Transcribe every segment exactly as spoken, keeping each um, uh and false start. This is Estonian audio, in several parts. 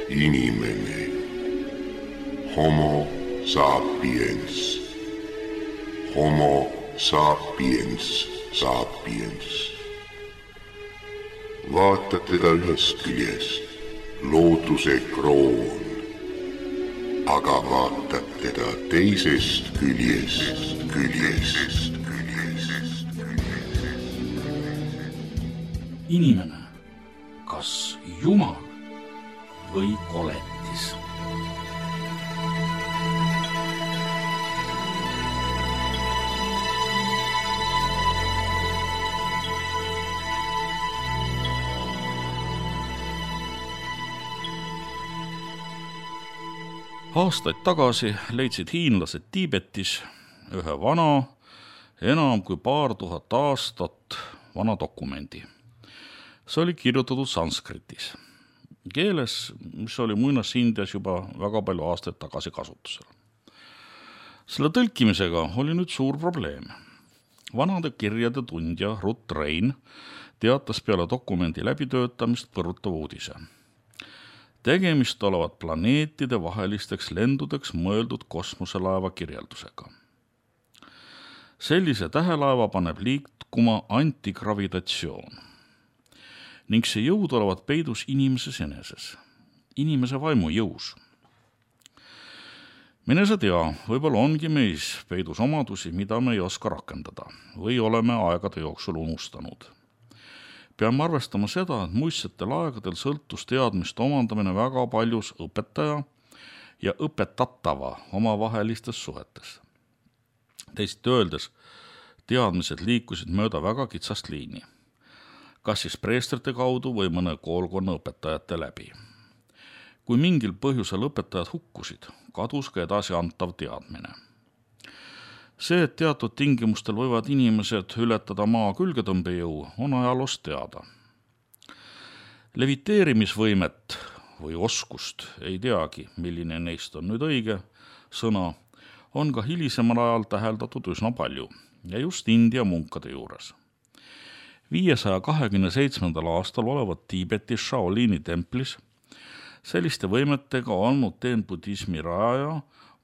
Inimene. Homo sapiens. Homo sapiens sapiens. Vaata teda ühest küljest, looduse kroon, aga vaatad teda teisest küljest, küljest, küljest. Inimene, kas Jumal või koletis? Aastaid tagasi leidsid hiinlased Tiibetis ühe vana, enam kui paar tuhat aastat vana dokumendi. See oli kirjutatud sanskritis, keeles, mis oli Muinas-Indias juba väga palju aastaid tagasi kasutusel. Selle tõlkimisega oli nüüd suur probleem. Vanade kirjade tundja Ruth Rein teatas peale dokumendi läbitöötamist põrutava uudise. Tegemist olevat planeetide vahelisteks lendudeks mõeldud kosmoselaeva kirjeldusega. Sellise tähelaeva paneb liikuma antigravitatsioon ning see jõud olevat peidus inimeses eneses, inimese vaimu jõus. Mine sa tea, võib-olla ongi meis peidus omadusi, mida me ei oska rakendada või oleme aegade jooksul unustanud. Peame arvestama seda, et muistsetel aegadel sõltus teadmiste omandamine väga paljus õpetaja ja õpetatava omavahelistes suhetes. Teisiti öeldes, teadmised liikusid mööda väga kitsast liini, kas siis preestrite kaudu või mõne koolkonna õpetajate läbi. Kui mingil põhjusel õpetajad hukkusid, kadus ka edasi antav teadmine. See, et teatud tingimustel võivad inimesed ületada maa külgetõmbejõu, on ajaloost teada. Leviteerimisvõimet või oskust, ei teagi, milline neist on nüüd õige sõna, on ka hilisemal ajal täheldatud üsna palju ja just India munkade juures. viiesaja kahekümne seitsmendal aastal olevat Tiibetis Shaolini templis selliste võimetega olnud teen budismi raja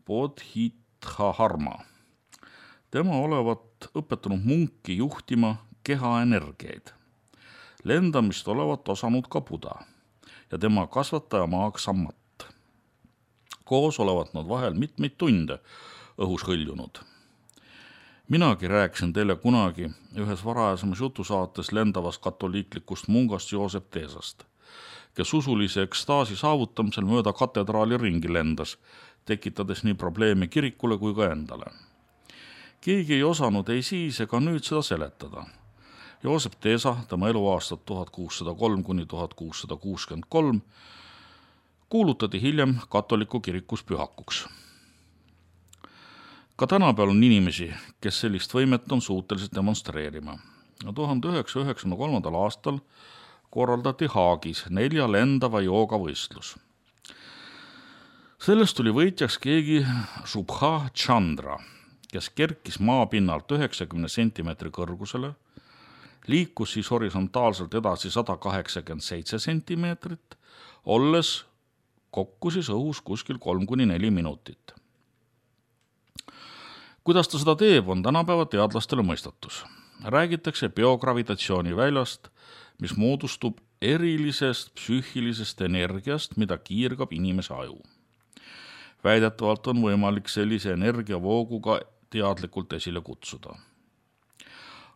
Bodhidharma. Tema olevat õpetanud munki juhtima keha energiaid. Lendamist olevat osanud ka Buda ja tema kasvataja maaks Sammat. Koos olevat nad vahel mitmeid tunde õhus hõljunud. Minagi rääkisin teile kunagi ühes varajasemas jutusaates lendavast katoliiklikust mungast Joosep Teesast, kes usulise ekstaasi saavutamisel mööda katedraali ringi lendas, tekitades nii probleeme kirikule kui ka endale. Keegi ei osanud ei siis ega nüüd seda seletada. Joosep Teesa, tema eluaastad tuhat kuussada kolm kuni tuhat kuussada kuuskümmend kolm, kuulutati hiljem katoliku kirikus pühakuks. Ka tänapäeval on inimesi, kes sellist võimet on suutelised demonstreerima. tuhande üheksasaja üheksakümne kolmandal aastal korraldati Haagis nelja lendava joogavõistlus. Sellest tuli võitjaks keegi Subha Chandra, kes kerkis maapinnalt üheksakümne sentimeetri kõrgusele, liikus siis horisontaalselt edasi sada kaheksakümmend seitse sentimeetrit, olles kokku siis õhus kuskil kolm kuni neli minutit. Kuidas ta seda teeb, on tänapäeva teadlastele mõistatus. Räägitakse biogravitatsiooni väljast, mis moodustub erilisest psüühilisest energiast, mida kiirgab inimese aju. Väidetavalt on võimalik sellise energiavooguga teadlikult esile kutsuda.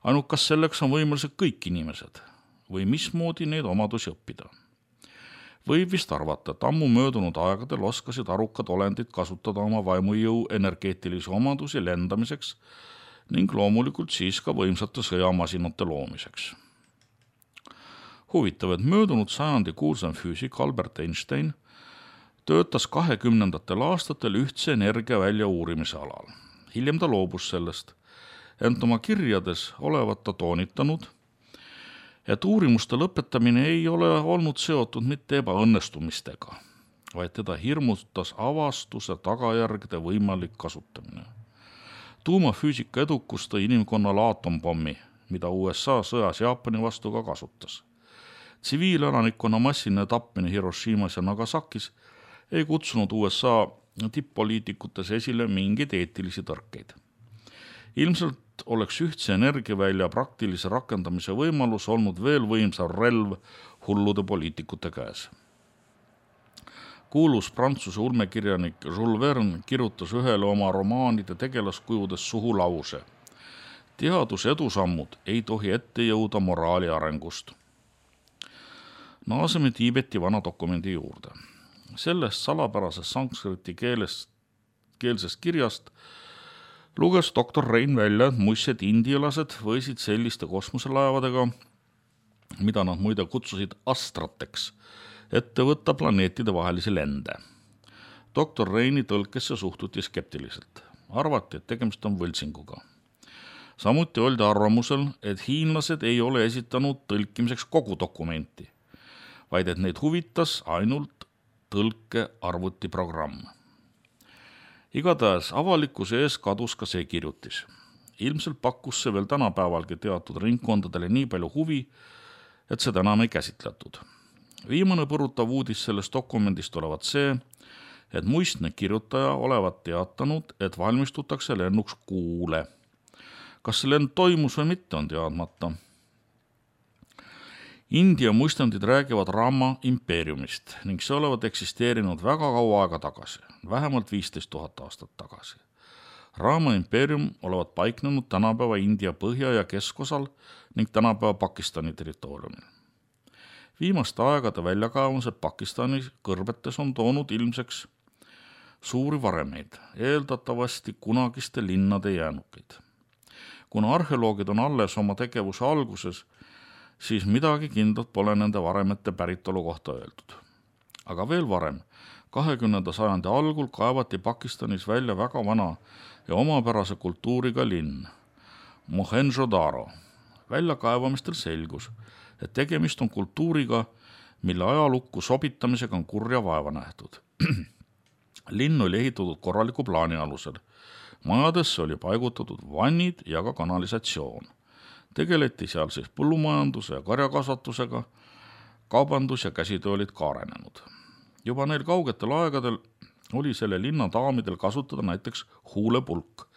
Ainult kas selleks on võimalised kõik inimesed või mismoodi neid omadusi õppida? Võib vist arvata, et ammu möödunud aegadel oskasid arukad olendid kasutada oma vaimujõu energeetilisi omadusi lendamiseks ning loomulikult siis ka võimsate sõjamasinate loomiseks. Huvitav, et möödunud sajandi kuulsam füüsik Albert Einstein töötas kahekümnendatel aastatel ühtse energia välja uurimise alal. Hiljem ta loobus sellest, ent oma kirjades olevat ta toonitanud, et uurimuste lõpetamine ei ole olnud seotud mitte ebaõnnestumistega, vaid teda hirmutas avastuse tagajärgede võimalik kasutamine. Tuumafüüsika edukus tõi inimkonnale aatompommi, mida U S A sõjas Jaapani vastu ka kasutas. Tsiviilelanikkonna massiline tapmine Hiroshimas ja Nagasakis ei kutsunud U S A tipp-poliitikutes esile mingeid eetilisi tõrkeid. Ilmselt oleks ühtse energiavälja praktilise rakendamise võimalus olnud veel võimsam relv hullude poliitikute käes. Kuulus Prantsuse ulmekirjanik Jules Verne kirjutas ühele oma romaanide tegelaskujudes suhu lause. Teaduse edusammud ei tohi ette jõuda moraali arengust. Naaseme Tiibeti vana dokumendi juurde. Sellest salapärasest sanskriti keelest, keelsest kirjast luges doktor Rein välja, et muistsed indialased võisid selliste kosmoselaevadega, mida nad muide kutsusid astrateks, ette võtta planeetide vahelisi lende. doktor Reini tõlkesse suhtuti skeptiliselt. Arvati, et tegemist on võltsinguga. Samuti oldi arvamusel, et hiinlased ei ole esitanud tõlkimiseks kogu dokumenti, vaid et neid huvitas ainult tõlke arvutiprogramm. Igatahes avalikkuse ees kadus ka see kirjutis. Ilmselt pakkus see veel tänapäevalgi teatud ringkondadele nii palju huvi, et seda enam ei käsitletud. Viimane põrutav uudis sellest dokumendist olevat see, et muistne kirjutaja olevat teatanud, et valmistutakse lennuks Kuule. Kas see lend toimus või mitte, on teadmata. India muistandid räägivad Rama impeeriumist ning see olevat eksisteerinud väga kaua aega tagasi, vähemalt viisteist tuhat aastat tagasi. Rama impeerium olevat paiknenud tänapäeva India põhja- ja keskosal ning tänapäeva Pakistani territooriumil. Viimaste aegade väljakaevumised Pakistani kõrbetes on toonud ilmseks suuri varemeid, eeldatavasti kunagiste linnade jäänukeid. Kuna arheoloogid on alles oma tegevuse alguses, siis midagi kindlat pole nende varemete päritolu kohta öeldud. Aga veel varem, kahekümnenda sajandi algul kaevati Pakistanis välja väga vana ja omapärase kultuuriga linn, Mohenjo-Daro. Väljakaevamistel selgus, et tegemist on kultuuriga, mille ajalukku sobitamisega on kurja vaeva nähtud. Linn oli ehitatud korraliku plaani alusel. Majadesse oli paigutatud vannid ja ka kanalisatsioon. Tegeleti seal siis põllumajanduse ja karjakasvatusega, kaubandus ja käsitöö olid ka arenenud. Juba neil kaugetel aegadel oli selle linna daamidel kasutada näiteks huulepulk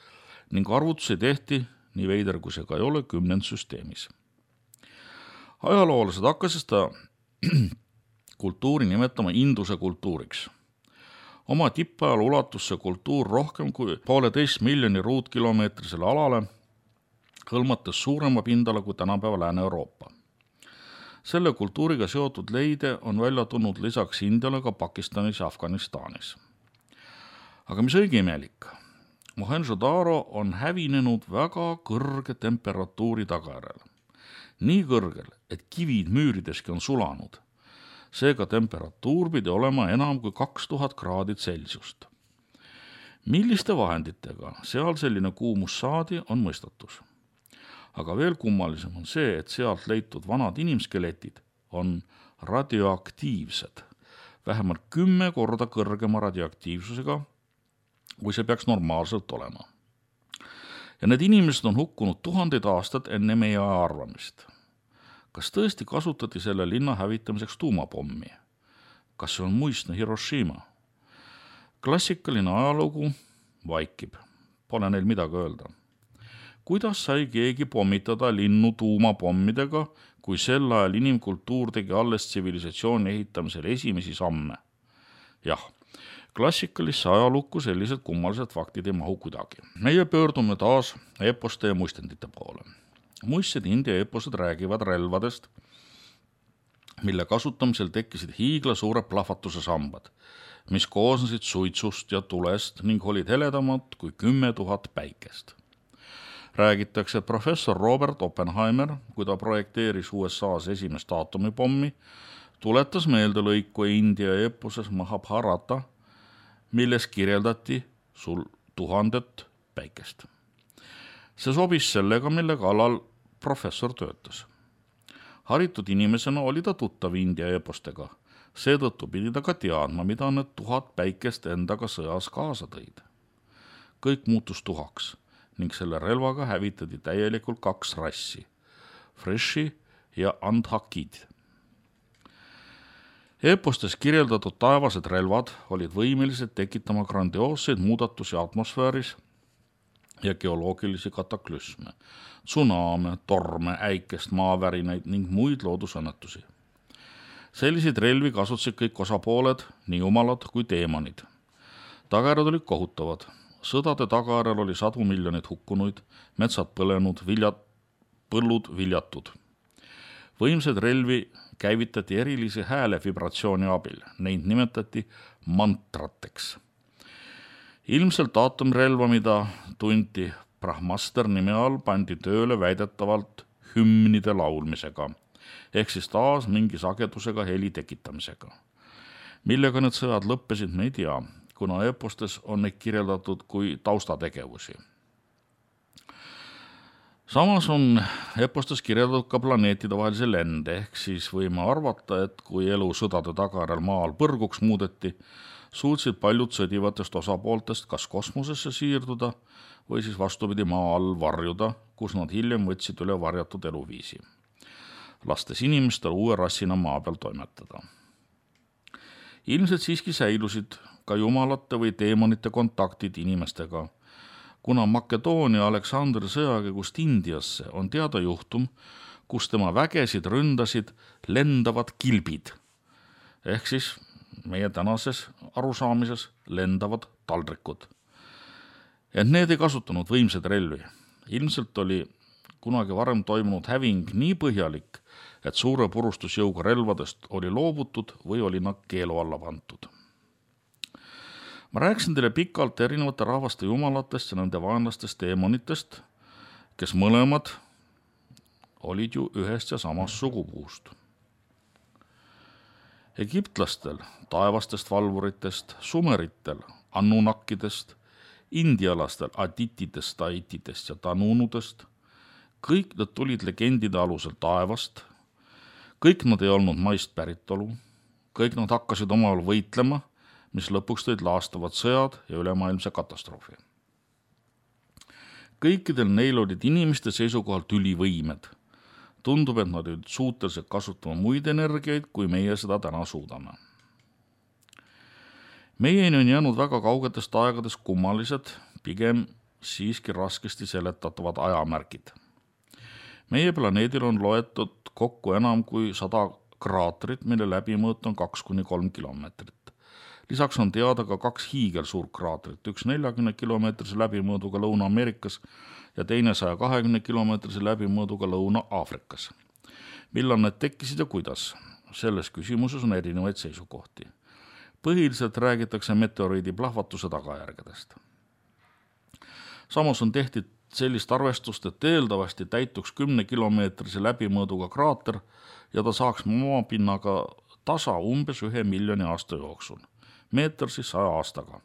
ning arvutusi tehti, nii veider kui see ka ei ole, kümnendsüsteemis. Ajaloolased hakkasid seda kultuuri nimetama Induse kultuuriks. Oma tippajal ulatus see kultuur rohkem kui pooleteist miljoni ruutkilomeetrisele alale, hõlmates suurema pindala kui tänapäeva Lääne-Euroopa. Selle kultuuriga seotud leide on välja tulnud lisaks Indiale ka Pakistanis ja Afganistanis. Aga mis õige imelik? Mohenjo-Daro on hävinenud väga kõrge temperatuuri tagajärjel. Nii kõrgel, et kivid müürideski on sulanud. Seega temperatuur pidi olema enam kui kaks tuhat kraadi Celsiust. Milliste vahenditega seal selline kuumus saadi, on mõistatus. Aga veel kummalisem on see, et sealt leitud vanad inimskeletid on radioaktiivsed, vähemalt kümme korda kõrgema radioaktiivsusega, kui see peaks normaalselt olema. Ja need inimesed on hukkunud tuhandeid aastad enne meie aja arvamist. Kas tõesti kasutati selle linna hävitamiseks tuumapommi? Kas see on muistne Hiroshima? Klassikaline ajalugu vaikib. Pole neil midagi öelda. Kuidas sai keegi pommitada linnu tuumapommidega, kui sel ajal inimkultuur tegi alles tsivilisatsiooni ehitamisel esimesi samme? Jah, klassikalisse ajalukku sellised kummalised faktid ei mahu kuidagi. Meie pöördume taas eposte ja muistendite poole. Muistsed India eposed räägivad relvadest, mille kasutamisel tekkisid hiigla suure plahvatuse sambad, mis koosnesid suitsust ja tulest ning olid heledamad kui kümme tuhat päikest. Räägitakse, et professor Robert Oppenheimer, kui ta projekteeris U S A-s esimest aatomipommi, tuletas meelde lõiku India eposes Mahabharata, milles kirjeldati sul tuhandet päikest. See sobis sellega, mille kallal professor töötas. Haritud inimesena oli ta tuttav India epostega, seetõttu pidi ta ka teadma, mida need tuhat päikest endaga sõjas kaasa tõid. Kõik muutus tuhaks ning selle relvaga hävitati täielikult kaks rassi, Freshi ja Andhakid. Eepostes kirjeldatud taevased relvad olid võimelised tekitama grandioosseid muudatusi atmosfääris ja geoloogilisi kataklüsme, tsuname, torme, äikest, maavärinaid ning muid loodusõnnetusi. Selliseid relvi kasutasid kõik osapooled, nii jumalad kui teemonid. Tagajärjed olid kohutavad. Sõdade tagajärjel oli sadu miljonit hukkunuid, metsad põlenud, viljad, põllud viljatud. Võimsaid relvi käivitati erilisi hääle vibratsiooni abil, neid nimetati mantrateks. Ilmselt aatomrelva, mida tunti Brahmaster nime all, pandi tööle väidetavalt hümnide laulmisega, ehk siis taas mingi sagedusega heli tekitamisega. Millega need sõjad lõppesid, me ei tea, kuna eepostes on neid kirjeldatud kui taustategevusi. Samas on eepostes kirjeldatud ka planeetide vahelise lende, ehk siis võime arvata, et kui elu sõdade tagajärjel maal põrguks muudeti, suutsid paljud sõdivatest osapooltest kas kosmosesse siirduda või siis vastupidi maa all varjuda, kus nad hiljem võtsid üle varjatud eluviisi, lastes inimestel uue rassina maa peal toimetada. Ilmselt siiski säilusid ka jumalate või teemonite kontaktid inimestega, kuna Makedoonia Aleksandri sõjakäigust Indiasse on teada juhtum, kus tema vägesid ründasid lendavad kilbid, ehk siis meie tänases arusaamises lendavad taldrikud. Et need ei kasutanud võimsaid relvi. Ilmselt oli kunagi varem toimunud häving nii põhjalik, et suure purustusjõuga relvadest oli loobutud või oli nad keelu alla pantud. Ma rääkisin teile pikalt erinevate rahvaste jumalatest ja nende vaenlastest teemonitest, kes mõlemad olid ju ühest ja samast sugupuust. Egiptlastel, taevastest valvuritest, sumeritel, annunakkidest, indialastel, aditidest, taitidest ja tanunudest, kõik nad tulid legendide alusel taevast, kõik nad ei olnud maist päritolu, kõik nad hakkasid omavahel võitlema, mis lõpuks tõid laastavad sõjad ja ülemaailmse katastroofi. Kõikidel neil olid inimeste seisukohalt ülivõimed. Tundub, et nad olid suutelised kasutama muid energiaid, kui meie seda täna suudame. Meieni on jäänud väga kaugetest aegades kummalised, pigem siiski raskesti seletatavad ajamärgid. Meie planeedil on loetud kokku enam kui sada kraatrit, mille läbimõõt on kaks kuni kolm kilomeetrit. Lisaks on teada ka kaks hiigelsuurt kraatrit, üks neljakümne kilomeetrise läbimõõduga Lõuna-Ameerikas ja teine saja kahekümne kilomeetrise läbimõõduga Lõuna-Aafrikas. Millal need tekkisid ja kuidas? Selles küsimuses on erinevaid seisukohti. Põhiliselt räägitakse meteoriidi plahvatuse tagajärgedest. Samas on tehtud sellist arvestust, et eeldavasti täituks kümne kilomeetrise läbimõõduga kraater ja ta saaks maapinnaga tasa umbes ühe miljoni aasta jooksul, meeter siis saja aastaga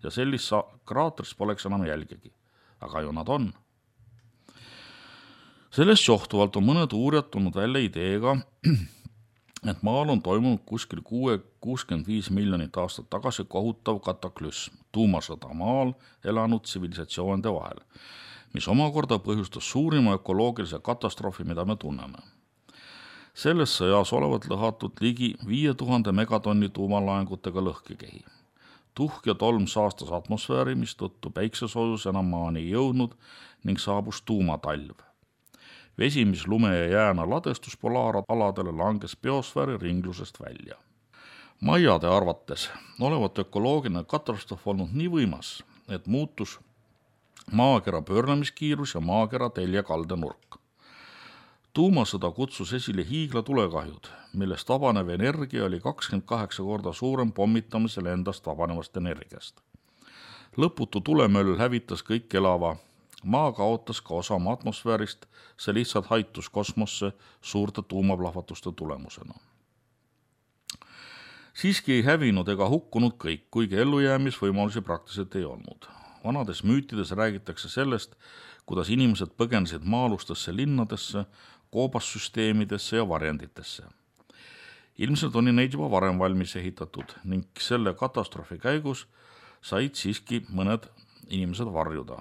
ja sellist kraatrist poleks enam jälgegi, aga ju nad on. Sellest johtuvalt on mõned uurijad tulnud välja ideega, et maal on toimunud kuskil kuuskümmend viis miljonit aastat tagasi kohutav kataklüsm, tuumasõda maal elanud tsivilisatsioonide vahel, mis omakorda põhjustas suurima ökoloogilise katastroofi, mida me tunneme. Selles sõjas olevat lõhatud ligi viie tuhande megatonni tuumalaengutega lõhkekehi. Tuhk ja tolm saastas atmosfääri, mis tõttu päiksesoojus enam maani ei jõudnud ning saabus tuumatalv. Vesi, mis lume ja jääna ladestus polaaraladele, langes biosfääri ringlusest välja. Maiade arvates olevat ökoloogiline katastroof olnud nii võimas, et muutus maakera pöörlemiskiirus ja maakera teljekalde nurk. Tuumasõda kutsus esile hiigla tulekahjud, millest vabanev energia oli kakskümmend kaheksa korda suurem pommitamisel endast vabanevast energiast. Lõputu tulemöll hävitas kõik elava. Maa kaotas ka osa oma atmosfäärist, see lihtsalt haitus kosmosse suurte tuumaplahvatuste tulemusena. Siiski ei hävinud ega hukkunud kõik, kuigi ellujäämisvõimalusi praktiliselt ei olnud. Vanades müütides räägitakse sellest, kuidas inimesed põgenesid maalustesse linnadesse, koobassüsteemidesse ja varjenditesse. Ilmselt oli neid juba varem valmis ehitatud ning selle katastroofi käigus said siiski mõned inimesed varjuda.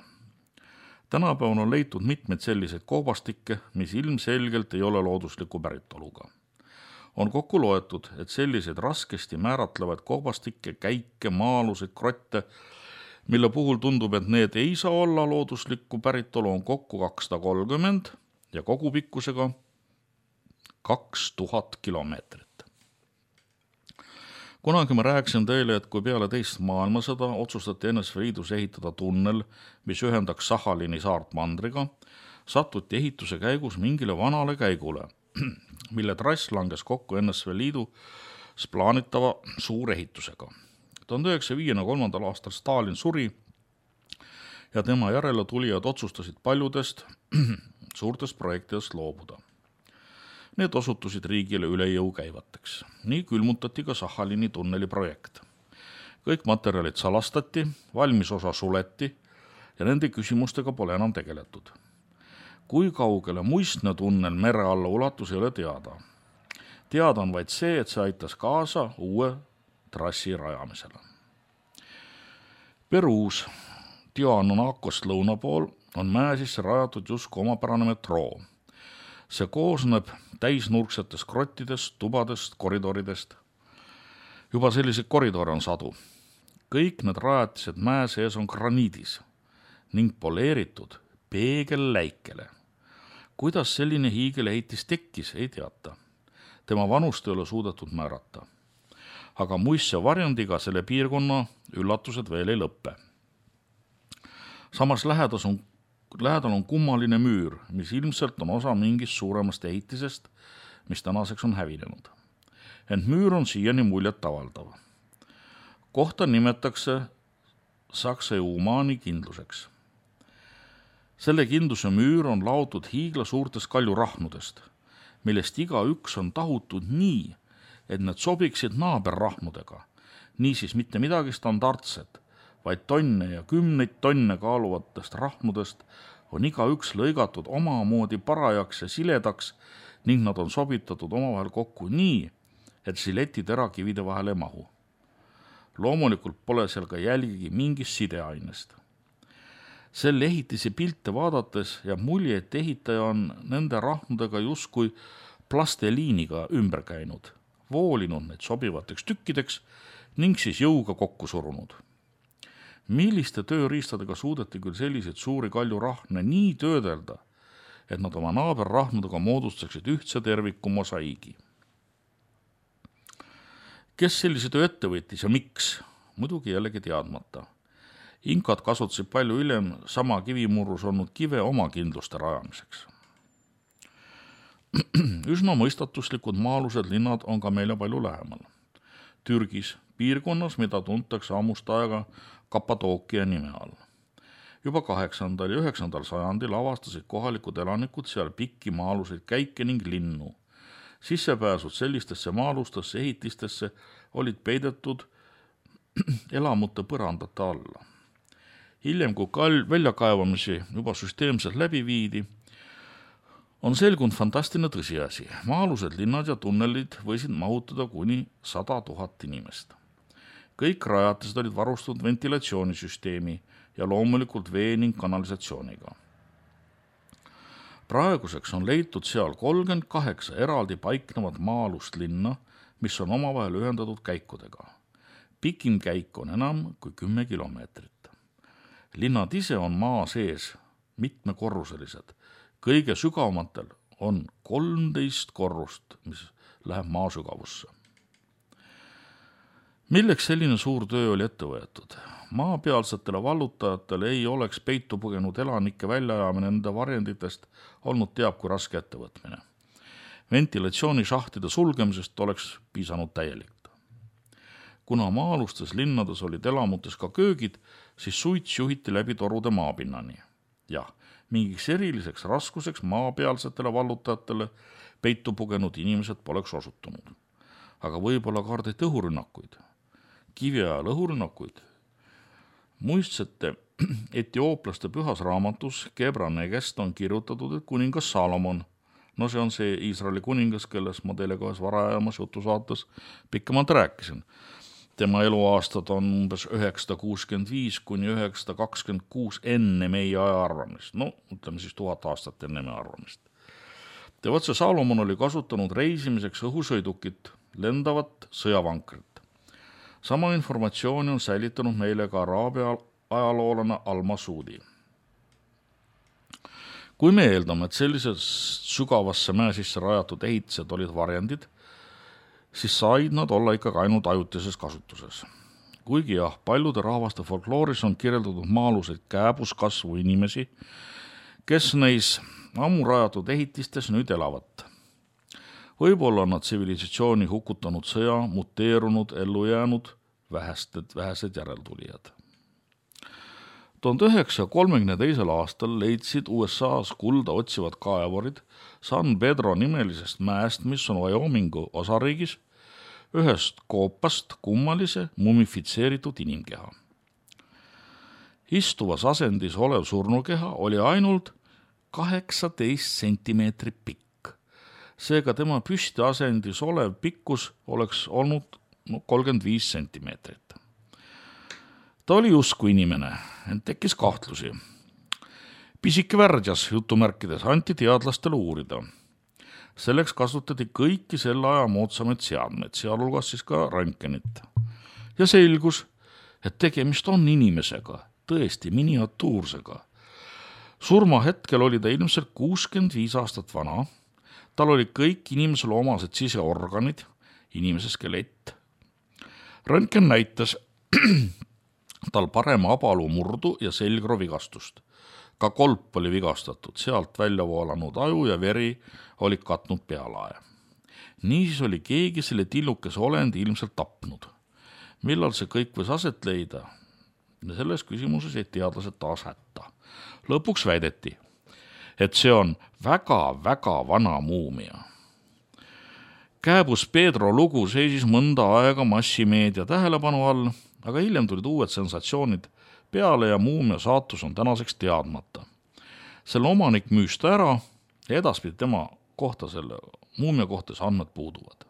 Tänapäeval on leitud mitmeid selliseid koobastikke, mis ilmselgelt ei ole loodusliku päritoluga. On kokku loetud, et selliseid raskesti määratlevaid kohvastikke, käike, maa-aluseid krotte, mille puhul tundub, et need ei saa olla looduslikku päritolu, on kokku kakssada kolmkümmend ja kogupikkusega kaks tuhat kilomeetrit. Kunagi ma rääkisin teile, et kui peale teist maailmasõda otsustati N S V Liidus ehitada tunnel, mis ühendaks Sahalini saart mandriga, sattuti ehituse käigus mingile vanale käigule, mille trass langes kokku N S V Liidus plaanitava suurehitusega. tuhande üheksasaja viiekümne kolmandal aastal Stalin suri ja tema järele tulijad otsustasid paljudest suurtest projektidest loobuda. Need osutusid riigile üle jõu käivateks. Nii külmutati ka Sahalini tunneli projekt. Kõik materjalid salastati, valmis osa suleti ja nende küsimustega pole enam tegeletud. Kui kaugele muistne tunnel mere alla ulatus ei ole teada. Teada on vaid see, et see aitas kaasa uue trassi rajamisele. Peruus Tiwanakost lõuna pool on mäe sisse rajatud justkui omapärane metroo. See koosneb täisnurksetest krottidest, tubadest, koridoridest. Juba selliseid koridore on sadu. Kõik need rajatised mäe sees on graniidis ning poleeritud peegelläikele. Kuidas selline hiigelehitis tekkis, ei teata. Tema vanust ei ole suudetud määrata. Aga muistse varjandiga selle piirkonna üllatused veel ei lõppe. Samas lähedas on, lähedal on kummaline müür, mis ilmselt on osa mingist suuremast ehitisest, mis tänaseks on hävinenud. Ent müür on siiani muljet avaldav. Kohta nimetakse Saksa Umaani kindluseks. Selle kindluse müür on laotud hiigla suurtest kaljurahnudest, millest iga üks on tahutud nii, et need sobiksid naaberrahnudega. Niisiis mitte midagi standardset, vaid tonne ja kümneid tonne kaaluvatest rahnudest on iga üks lõigatud omamoodi parajaks ja siledaks ning nad on sobitatud omavahel kokku nii, et siletid erakivide vahel ei mahu. Loomulikult pole seal ka jälgigi mingist sideainest. Selle ehitise pilte vaadates jääb mulje, et ehitaja on nende rahnudega justkui plasteliiniga ümber käinud, voolinud need sobivateks tükkideks ning siis jõuga kokku surunud. Milliste tööriistadega suudeti küll selliseid suuri kaljurahne nii töödelda, et nad oma naaberrahnudega moodustaksid ühtse terviku mosaiigi. Kes sellise töö ette võttis ja miks? Muidugi jällegi teadmata. Inkad kasutasid palju hiljem sama kivimurrus olnud kive oma kindluste rajamiseks. Üsna mõistatuslikud maa-alused linnad on ka meile palju lähemal. Türgis, piirkonnas, mida tuntakse ammust aega Kappadookia nime all. Juba kaheksandal ja üheksandal sajandil avastasid kohalikud elanikud seal pikki maa-aluseid käike ning linnu. Sissepääsud sellistesse maa-alustesse ehitistesse olid peidetud elamute põrandate alla. Hiljem, kui kal- väljakaevamisi juba süsteemselt läbi viidi, on selgunud fantastiline tõsiasi. Maa-alused linnad ja tunnelid võisid mahutada kuni sada tuhat inimest. Kõik rajatised olid varustatud ventilatsioonisüsteemi ja loomulikult vee ning kanalisatsiooniga. Praeguseks on leitud seal kolmkümmend kaheksa eraldi paiknevat maa-alust linna, mis on omavahel ühendatud käikudega. Pikim käik on enam kui kümme kilomeetrit. Linnad ise on maa sees mitmekorruselised. Kõige sügavamatel on kolmteist korrust, mis läheb maa sügavusse. Milleks selline suur töö oli ette võetud? Maapealsetele vallutajatele ei oleks peitu põgenud elanike väljaajamine nende varjenditest olnud teab kui raske ettevõtmine. Ventilatsioonišahtide sulgemisest oleks piisanud täielik. Kuna maa-alustes linnades olid elamutes ka köögid, siis suits juhiti läbi torude maapinnani. Jah, mingiks eriliseks raskuseks maapealsetele vallutajatele peitu pugenud inimesed poleks osutunud. Aga võib-olla kardeti õhurünnakuid, kiviajal õhurünnakuid. Muistsete etiooplaste pühas raamatus Gebra Negest on kirjutatud, et kuningas Salomon, no see on see Iisraeli kuningas, kelles ma teile kohes varajamas jutusaates pikemalt rääkisin. Tema eluaastad on umbes üheksasada kuuskümmend viis kuni üheksasada kakskümmend kuus enne meie aja arvamist. No, ütleme siis tuhat aastat enne meie arvamist. Tevatse Salomon oli kasutanud reisimiseks õhusõidukit, lendavat sõjavankrit. Sama informatsiooni on säilitanud meile ka araabia ajaloolane Al-Masudi. Kui me eeldame, et sellisest sügavasse mäe sisse rajatud ehitised olid varjendid, siis said nad olla ikkagi ainult ajutises kasutuses. Kuigi jah, paljude rahvaste folklooris on kirjeldatud maa-aluseid kääbuskasvu inimesi, kes neis ammu rajatud ehitistes nüüd elavad. Võib-olla on nad tsivilisatsiooni hukutanud sõja, muteerunud, ellu jäänud vähesed, vähesed järeltulijad. tuhande üheksasaja kolmekümne teisel aastal leidsid U S A-s kulda otsivad kaevurid San Pedro nimelisest mäest, mis on Wyomingu osariigis, ühest koopast kummalise mumifitseeritud inimkeha. Istuvas asendis olev surnukeha oli ainult kaheksateist sentimeetrit pikk. Seega tema püsti asendis olev pikkus oleks olnud no, kolmkümmend viis sentimeetrit. Ta oli usku inimene, ent tekkis kahtlusi. Pisike värdjas jutumärkides anti teadlastele uurida. Selleks kasutati kõiki selle aja moodsamaid seadmeid, sealhulgas siis ka röntgenit. Ja selgus, et tegemist on inimesega, tõesti miniatuursega. Surma hetkel oli ta ilmselt kuuskümmend viis aastat vana. Tal oli kõik inimesele omased siseorganid, inimese skelett. Röntgen näitas tal parema abalu murdu ja selgroo vigastust. Ka kolp oli vigastatud, sealt välja voolanud aju ja veri oli katnud pealae. Niisiis oli keegi selle tillukese olendi ilmselt tapnud. Millal see kõik võis aset leida? Selles küsimuses jäid teadlased taas hätta. Lõpuks väideti, et see on väga-väga vana muumia. Kääbus Pedro lugu seisis mõnda aega massimeedia tähelepanu all, aga hiljem tulid uued sensatsioonid peale ja muumia saatus on tänaseks teadmata. Selle omanik müüs ta ära ja edaspidi tema kohta selle muumia kohtas andmed puuduvad.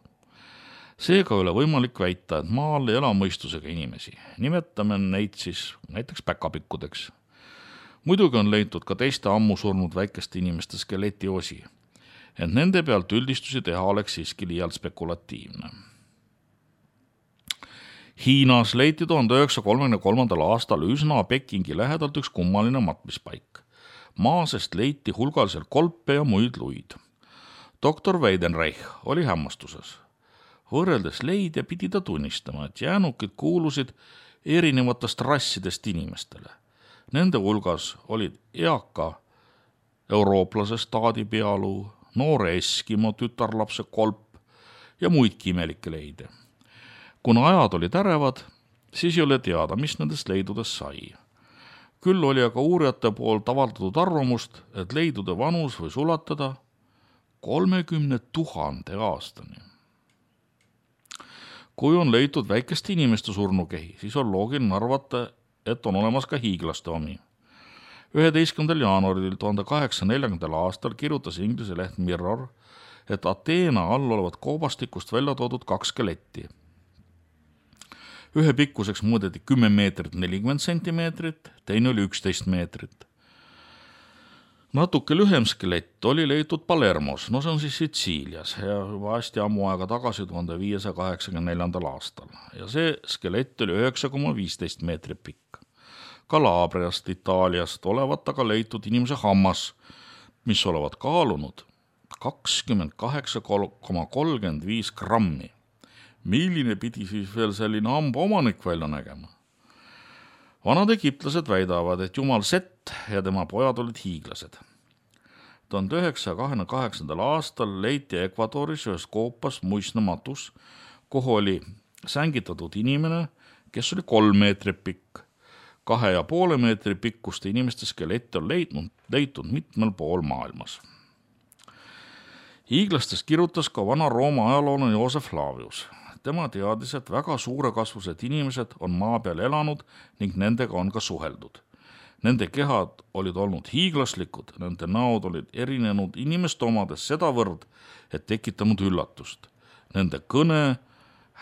Seega ei ole võimalik väita, et maal ei ela mõistusega inimesi. Nimetame neid siis näiteks päkapikkudeks. Muidugi on leitud ka teiste ammu surnud väikeste inimeste skeleti osi, ent nende pealt üldistusi teha oleks siiski liialt spekulatiivne. Hiinas leiti tuhande üheksasaja kolmekümne kolmandal aastal üsna Pekingi lähedalt üks kummaline matmispaik. Maasest leiti hulgaliselt kolpe ja muid luid. Doktor Weidenreich oli hämmastuses. Võrreldes leidja pidi ta tunnistama, et jäänukid kuulusid erinevatest rassidest inimestele. Nende hulgas olid eaka eurooplase staadi pealuu, noore Eskimo tütarlapse kolp ja muidki imelikke leide. Kuna ajad olid ärevad, siis ei ole teada, mis nendest leidudest sai. Küll oli aga uurijate poolt avaldatud arvamust, et leidude vanus võis ulatada kolmekümne tuhande aastani. Kui on leitud väikeste inimeste surnukehi, siis on loogiline arvata, et on olemas ka hiiglaste omi. üheteistkümnendal jaanuaril tuhande kaheksasaja neljakümnendal aastal kirjutas inglise leht Mirror, et Ateena all olevat koobastikust välja toodud kaks skeletti. Ühe pikkuseks mõõdeti kümme meetrit nelikümmend sentimeetrit, teine oli üksteist meetrit. Natuke lühem skelett oli leitud Palermos, no see on siis Sitsiilias ja juba hästi ammu aega tagasi tuhande viiesaja kaheksakümne neljandal aastal. Ja see skelett oli üheksa koma viisteist meetrit pikk. Kalabriast, Itaaliast olevat aga leitud inimese hammas, mis olevat kaalunud kakskümmend kaheksa koma kolmkümmend viis grammi. Milline pidi siis veel selline hamba omanik välja nägema? Vanad egiptlased väidavad, et jumal Set ja tema pojad olid hiiglased. tuhande üheksasaja kahekümne kaheksandal aastal leiti Ekvadoris ühes koopas muisnematus, kuhu oli sängitatud inimene, kes oli kolm meetrit pikk. Kahe ja poole meetri pikkuste inimeste skelette on leidnud, leitud mitmel pool maailmas. Hiiglastest kirjutas ka vana Rooma ajaloolane Joosef Flavius. Tema teadis, et väga suure kasvused inimesed on maa peal elanud ning nendega on ka suheldud. Nende kehad olid olnud hiiglaslikud, nende näod olid erinenud inimeste omades sedavõrd, et tekitanud üllatust. Nende kõne,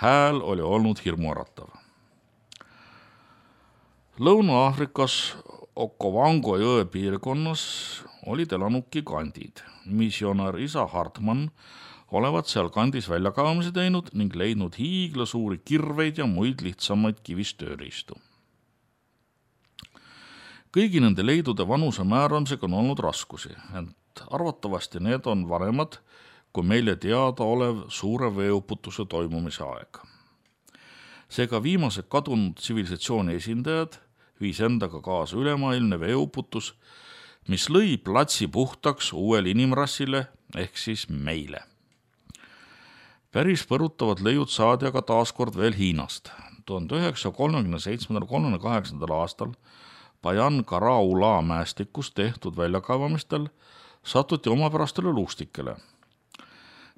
hääl oli olnud hirmuäratav. Lõuna-Aafrikas Okovango jõe piirkonnas olid elanud gigandid. Missionär isa Hartmann olevat seal kandis väljakaevamise teinud ning leidnud hiigla suuri kirveid ja muid lihtsamaid kivist tööriistu. Kõigi nende leidude vanuse määramisega on olnud raskusi, ent arvatavasti need on vanemad kui meile teada olev suure veeuputuse toimumise aeg. Seega viimased kadunud tsivilisatsiooni esindajad viis endaga kaasa ülemaailmne veeuputus, mis lõi platsi puhtaks uuele inimrassile ehk siis meile. Päris põrutavad leiud saadi aga taaskord veel Hiinast. tuhande üheksasaja kolmekümne seitsmendal kolmekümne kaheksandal aastal Bayan Karaula mäestikus tehtud väljakaevamistel satuti omapärastele luustikele.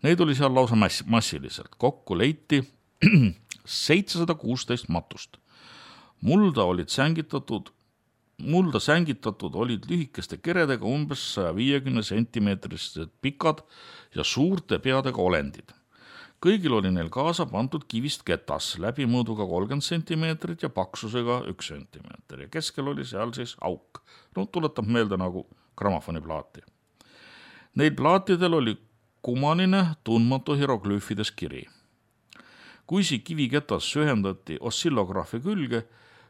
Neid oli seal lausa mass- massiliselt. Kokku leiti seitsesada kuusteist matust. Mulda olid sängitatud, mulda sängitatud olid lühikeste keredega umbes saja viiekümne sentimeetrised pikad ja suurte peadega olendid. Kõigil oli neil kaasa pandud kivist ketas läbimõõduga kolmkümmend sentimeetrit ja paksusega üks sentimeeter ja keskel oli seal siis auk. No, tuletab meelde nagu grammofoniplaati. Neil plaatidel oli kumanine tundmatu hieroglüüfides kiri. Kui see kiviketas sühendati ossillograafi külge,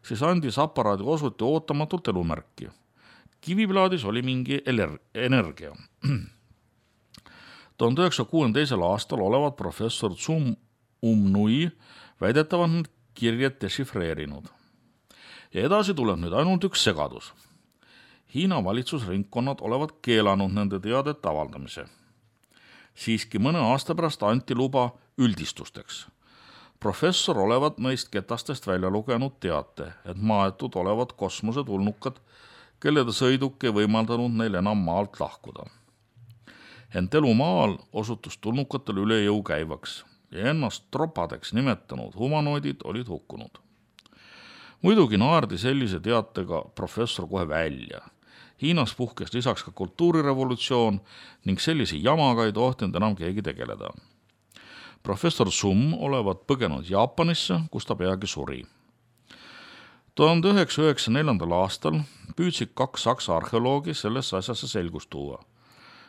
siis andis aparaadi osuti ootamatult elumärki. Kiviplaadis oli mingi energia. tuhande üheksasaja kuuekümne teisel aastal olevat professor Zum Umnui väidetavalt need kirjad dešifreerinud. Ja edasi tuleb nüüd ainult üks segadus. Hiina valitsusringkonnad olevat keelanud nende teadete avaldamise. Siiski mõne aasta pärast anti luba üldistusteks. Professor olevat neist ketastest välja lugenud teate, et maetud olevat kosmosetulnukad, kelle sõiduk ei võimaldanud neil enam maalt lahkuda. Ent elu maal osutus tulnukatel üle jõu käivaks ja ennast tropadeks nimetanud humanoidid olid hukkunud. Muidugi naerdi sellise teatega professor kohe välja. Hiinas puhkes lisaks ka kultuurirevolutsioon ning sellise jamaga ei tohtinud enam keegi tegeleda. Professor Sum olevat põgenud Jaapanisse, kus ta peagi suri. tuhande üheksasaja üheksakümne neljandal aastal püüdsid kaks saksa arheoloogi sellesse asjasse selgust tuua.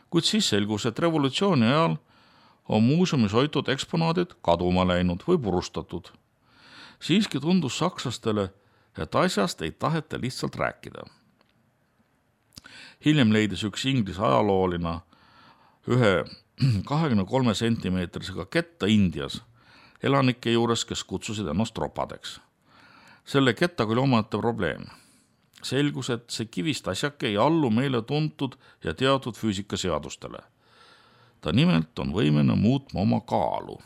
Kuid siis selgus, et revolutsiooni ajal on muuseumis hoitud eksponaadid kaduma läinud või purustatud. Siiski tundus sakslastele, et asjast ei taheta lihtsalt rääkida. Hiljem leidis üks Inglise ajaloolina ühe kahekümne kolme sentimeetrisega ketta Indias elanike juures, kes kutsusid ennast tropadeks. Selle kettaga oli omaette probleem. Selgus, et see kivist asjake ei allu meile tuntud ja teatud füüsikaseadustele. Ta nimelt on võimene muutma oma kaalu.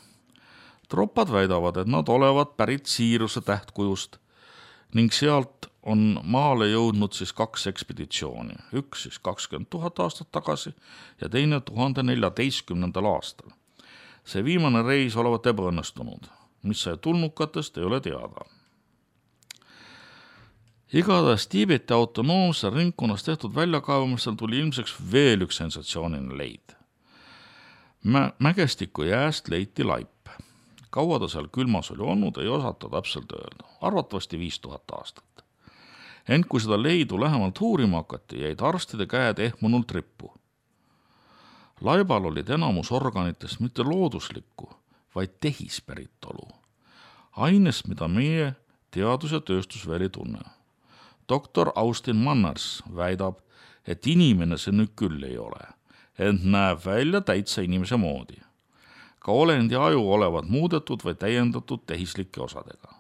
Tropad väidavad, et nad olevat pärit Siiruse tähtkujust ning sealt on maale jõudnud siis kaks ekspeditsiooni. Üks siis kakskümmend tuhat aastat tagasi ja teine tuhande neljateistkümnendal aastal. See viimane reis olevat ebaõnnestunud, mis sai tulnukatest ei ole teada. Igatahes Tiibeti autonoomse ringkonnas tehtud väljakaevamistel tuli ilmseks veel üks sensatsiooniline leid. Mä- mägestiku jääst leiti laip. Kaua ta seal külmas oli olnud, ei osata täpselt öelda. Arvatavasti viis tuhat aastat. Ent kui seda leidu lähemalt uurima hakati, jäid arstide käed ehmunult rippu. Laibal olid enamus organitest mitte looduslikku, vaid tehispäritolu. Ainest, mida meie teadus- ja tööstus veel ei tunne. Doktor Austin Manners väidab, et inimene see nüüd küll ei ole, ent näeb välja täitsa inimese moodi. Ka olendi aju olevat muudetud või täiendatud tehislike osadega.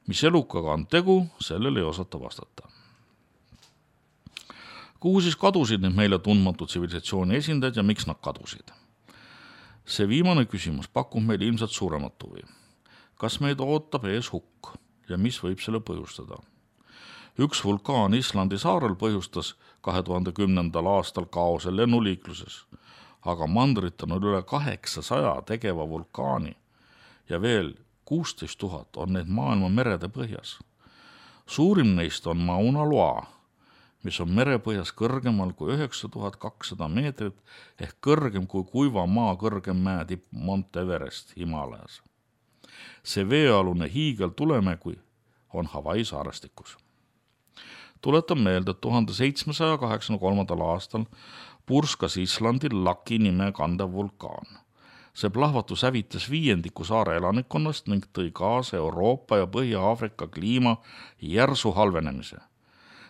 Mis elukaga on tegu, sellele ei osata vastata. Kuhu siis kadusid nüüd meile tundmatud tsivilisatsiooni esindajad ja miks nad kadusid? See viimane küsimus pakub meile ilmselt suuremat huvi. Kas meid ootab ees hukk ja mis võib selle põhjustada? Üks vulkaan Islandi saarel põhjustas kahe tuhande kümnendal aastal kaose lennuliikluses, aga mandrit on üle kaheksasaja tegeva vulkaani ja veel kuusteist tuhat on neid maailma merede põhjas. Suurim neist on Mauna Loa, mis on merepõhjas kõrgemal kui üheksa tuhat kakssada meetrit ehk kõrgem kui kuiva maa kõrgem mäetipp Mount Everest Himalajas. See veealune hiigel tulemägi on Hawaii saarestikus. Tuletan meelde, et tuhande seitsmesaja kaheksakümne kolmandal aastal purskas Islandil Laki nime kandev vulkaan. See plahvatus hävitas viiendiku saare elanikkonnast ning tõi kaasa Euroopa ja Põhja-Aafrika kliima järsu halvenemise.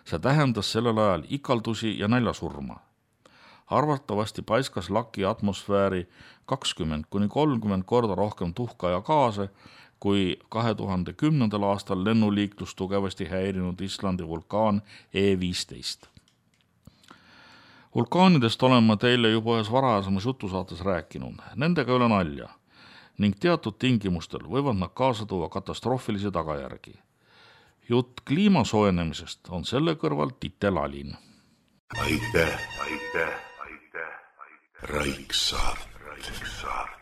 See tähendas sellel ajal ikaldusi ja näljasurma. Arvatavasti paiskas Laki atmosfääri kakskümmend kuni kolmkümmend korda rohkem tuhka ja gaase, kui kahe tuhande kümnendal aastal lennuliiklus tugevasti häirinud Islandi vulkaan E viisteist. Vulkaanidest olen ma teile juba ühes varajasemas jutusaates rääkinud, nendega ei ole nalja ning teatud tingimustel võivad nad kaasa tuua katastroofilisi tagajärgi. Jutt kliima soojenemisest on selle kõrval titelalin. Aitäh, aitäh, aitäh, aitäh. Raiksaart. Raiksaart.